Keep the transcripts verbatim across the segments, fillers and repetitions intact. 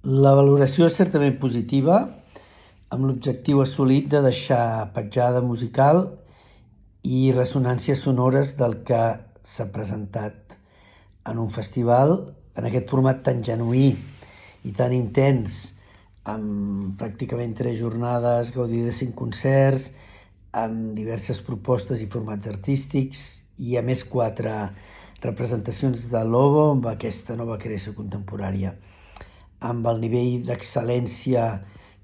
La valoració és certament positiva, amb l'objectiu assolit de deixar petjada musical i ressonàncies sonores del que s'ha presentat en un festival, en aquest format tan genuí i tan intens, amb pràcticament tres jornades, gaudir de cinc concerts, amb diverses propostes i formats artístics i a més quatre representacions de Lobo amb aquesta nova creació contemporània, amb el nivell d'excel·lència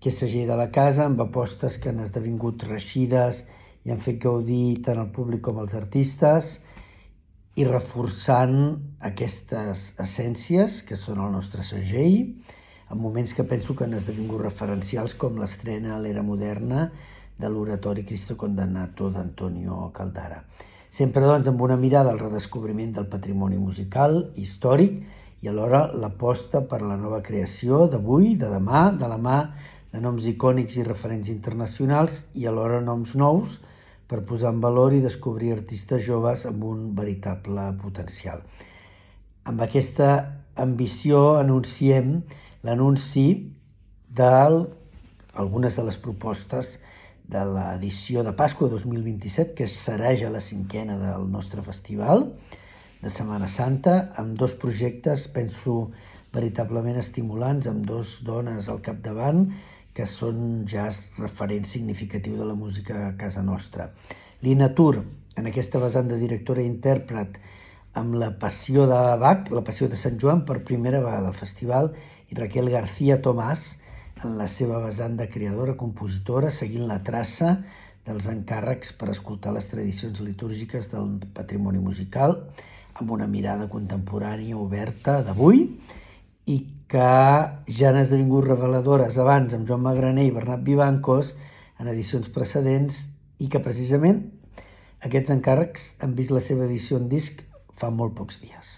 que és segell de la casa, amb apostes que han esdevingut reeixides i han fet gaudir tant el públic com els artistes i reforçant aquestes essències que són el nostre segell, en moments que penso que han esdevingut referencials com l'estrena a l'era moderna de l'oratori Cristo Condannato d'Antonio Caldara. Sempre doncs amb una mirada al redescobriment del patrimoni musical, històric, i alhora l'aposta per la nova creació d'avui, de demà, de la mà de noms icònics i referents internacionals i alhora noms nous per posar en valor i descobrir artistes joves amb un veritable potencial. Amb aquesta ambició anunciem l'anunci d'algunes de les propostes de l'edició de Pasqua dos mil vint-i-set, que serà ja la cinquena del nostre festival de Setmana Santa, amb dos projectes, penso, veritablement estimulants, amb dos dones al capdavant, que són ja referents significatius de la música a casa nostra. Lina Tur, en aquesta vessant de directora i intèrpret, amb la Passió de Bach, la Passió de Sant Joan, per primera vegada al festival, i Raquel García Tomàs, en la seva vessant de creadora, compositora, seguint la traça dels encàrrecs per escoltar les tradicions litúrgiques del patrimoni musical, amb una mirada contemporània oberta d'avui i que ja han esdevingut reveladores abans amb Joan Magraner i Bernat Vivancos en edicions precedents i que precisament aquests encàrrecs han vist la seva edició en disc fa molt pocs dies.